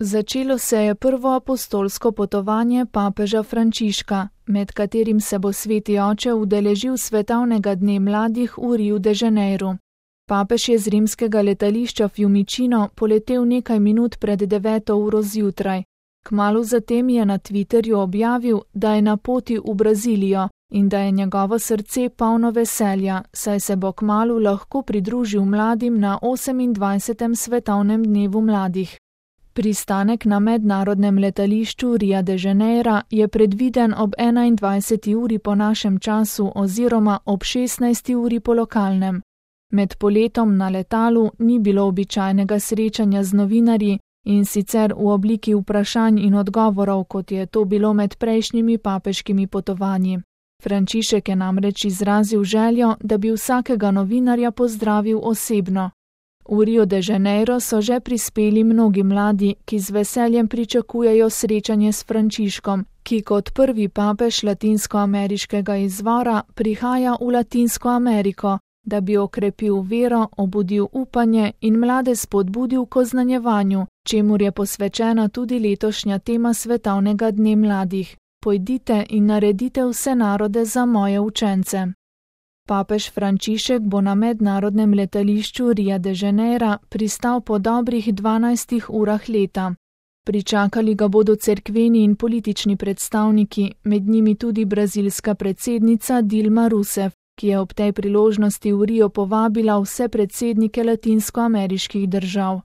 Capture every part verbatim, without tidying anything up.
Začelo se je prvo apostolsko potovanje papeža Frančiška, med katerim se bo sveti oče udeležil svetovnega dne mladih v Riu de Janeiru. Papež je z rimskega letališča Fiumicino poletel nekaj minut pred deveto uro zjutraj. Kmalu zatem je na Twitterju objavil, da je na poti v Brazilijo in da je njegovo srce polno veselja, saj se bo kmalu lahko pridružil mladim na osemindvajsetem svetovnem dnevu mladih. Pristanek na mednarodnem letališču Ria de Janeira je predviden ob enaindvajseti uri po našem času oziroma ob šestnajsti uri po lokalnem. Med poletom na letalu ni bilo običajnega srečanja z novinarji in sicer v obliki vprašanj in odgovorov, kot je to bilo med prejšnjimi papeškimi potovanji. Frančišek je namreč izrazil željo, da bi vsakega novinarja pozdravil osebno. V Rio de Janeiro so že prispeli mnogi mladi, ki z veseljem pričakujejo srečanje s Frančiškom, ki kot prvi papež latinskoameriškega izvora prihaja v Latinsko Ameriko, da bi okrepil vero, obudil upanje in mlade spodbudil k oznanjevanju, čemur je posvečena tudi letošnja tema svetovnega dne mladih. Pojdite in naredite vse narode za moje učence. Papež Frančišek bo na mednarodnem letališču Ria de Janeira pristal po dobrih dvanajstih urah leta. Pričakali ga bodo cerkveni in politični predstavniki, med njimi tudi brazilska predsednica Dilma Rousseff, ki je ob tej priložnosti v Rio povabila vse predsednike latinskoameriških držav.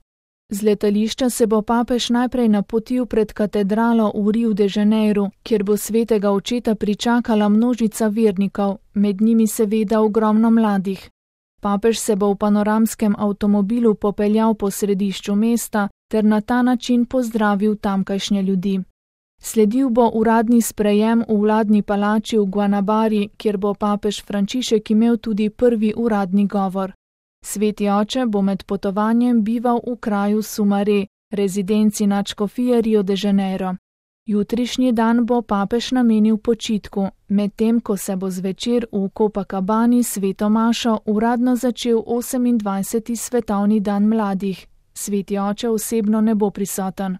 Z letališča se bo papež najprej napotil pred katedralo v Riu de Janeiru, kjer bo svetega očeta pričakala množica vernikov, med njimi seveda ogromno mladih. Papež se bo v panoramskem avtomobilu popeljal po središču mesta ter na ta način pozdravil tamkajšnje ljudi. Sledil bo uradni sprejem v vladni palači v Guanabari, kjer bo papež Frančišek imel tudi prvi uradni govor. Sveti oče bo med potovanjem bival v kraju Sumare, rezidenci nadškofije Rio de Janeiro. Jutrišnji dan bo papež namenil počitku, medtem ko se bo zvečer v Copacabani sveto mašo uradno začel osemindvajseti svetovni dan mladih. Sveti oče osebno ne bo prisoten.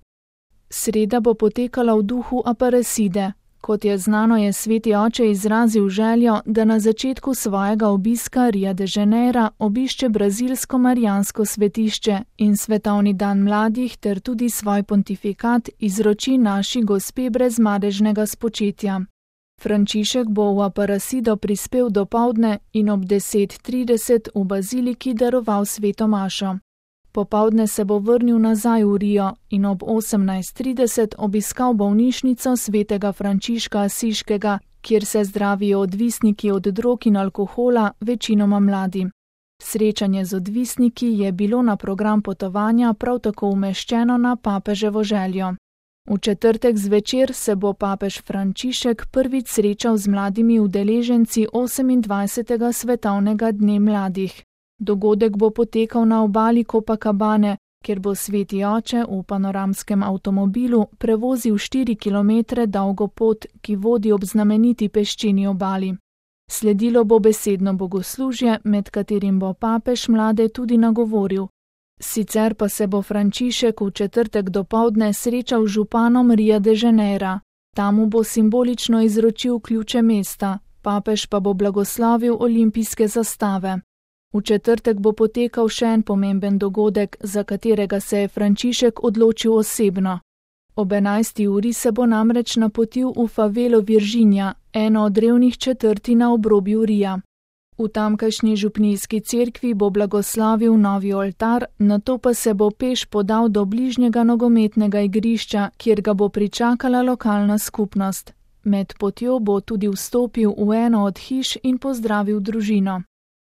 Sreda bo potekala v duhu Aparecide. Kot je znano, je sveti oče izrazil željo, da na začetku svojega obiska Ria de Janeira obišče brazilsko marijansko svetišče in svetovni dan mladih ter tudi svoj pontifikat izroči naši gospe brezmadežnega spočetja. Frančišek bo v Aparecido prispel dopoldne in ob deset trideset v baziliki daroval sveto mašo. Popoldne se bo vrnil nazaj v Rio in ob osemnajst trideset obiskal bolnišnico svetega Frančiška Asiškega, kjer se zdravijo odvisniki od drog in alkohola, večinoma mladi. Srečanje z odvisniki je bilo na program potovanja prav tako umeščeno na papeževo željo. V četrtek zvečer se bo papež Frančišek prvič srečal z mladimi udeleženci osemindvajsetega svetovnega dne mladih. Dogodek bo potekal na obali Copacabane, kjer bo sveti oče v panoramskem avtomobilu prevozil štiri kilometre dolgo pot, ki vodi ob znameniti peščeni obali. Sledilo bo besedno bogoslužje, med katerim bo papež mlade tudi nagovoril. Sicer pa se bo Frančišek v četrtek dopoldne srečal z županom Ria de Janeira. Tam mu bo simbolično izročil ključe mesta, papež pa bo blagoslovil olimpijske zastave. V četrtek bo potekal še en pomemben dogodek, za katerega se je Frančišek odločil osebno. Ob enajsti uri se bo namreč napotil v favelo Virginia, eno od revnih četrti na obrobju Ria. V tamkajšnji župnijski cerkvi bo blagoslavil novi oltar, nato pa se bo peš podal do bližnjega nogometnega igrišča, kjer ga bo pričakala lokalna skupnost. Med potjo bo tudi vstopil v eno od hiš in pozdravil družino.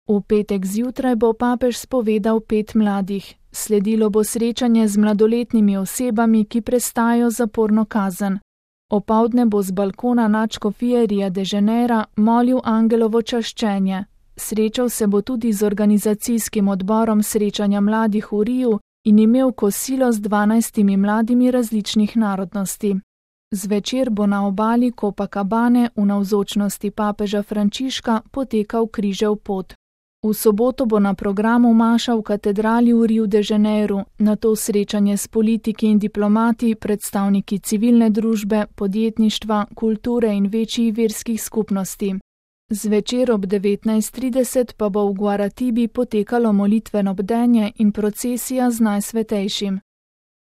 V petek zjutraj bo papež spovedal pet mladih. Sledilo bo srečanje z mladoletnimi osebami, ki prestajajo zaporno kazen. Opoldne bo z balkona nadškofije Ria de Janeira molil angelovo čaščenje. Srečal se bo tudi z organizacijskim odborom srečanja mladih v Riu in imel kosilo z dvanajstimi mladimi različnih narodnosti. Zvečer bo na obali Copacabane v navzočnosti papeža Frančiška potekal križev pot. V soboto bo na programu maša v katedrali v Riu de Janeiru, nato srečanje s politiki in diplomati, predstavniki civilne družbe, podjetništva, kulture in večjih verskih skupnosti. Zvečer ob devetnajst trideset pa bo v Guaratibi potekalo molitveno bdenje in procesija z Najsvetejšim.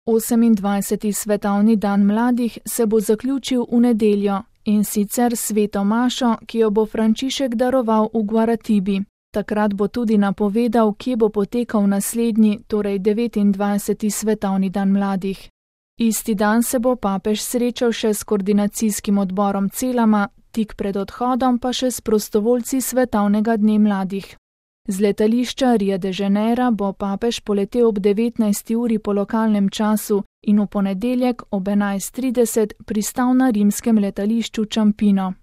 osemindvajseti svetovni dan mladih se bo zaključil v nedeljo, in sicer sveto mašo, ki jo bo Frančišek daroval v Guaratibi. Takrat bo tudi napovedal, kje bo potekal naslednji, torej devetindvajseti svetovni dan mladih. Isti dan se bo papež srečal še s koordinacijskim odborom Celama, tik pred odhodom pa še s prostovoljci svetovnega dne mladih. Z letališča Ria de Janeira bo papež poletel ob devetnajsti uri po lokalnem času in v ponedeljek ob enajst trideset pristal na rimskem letališču Ciampino.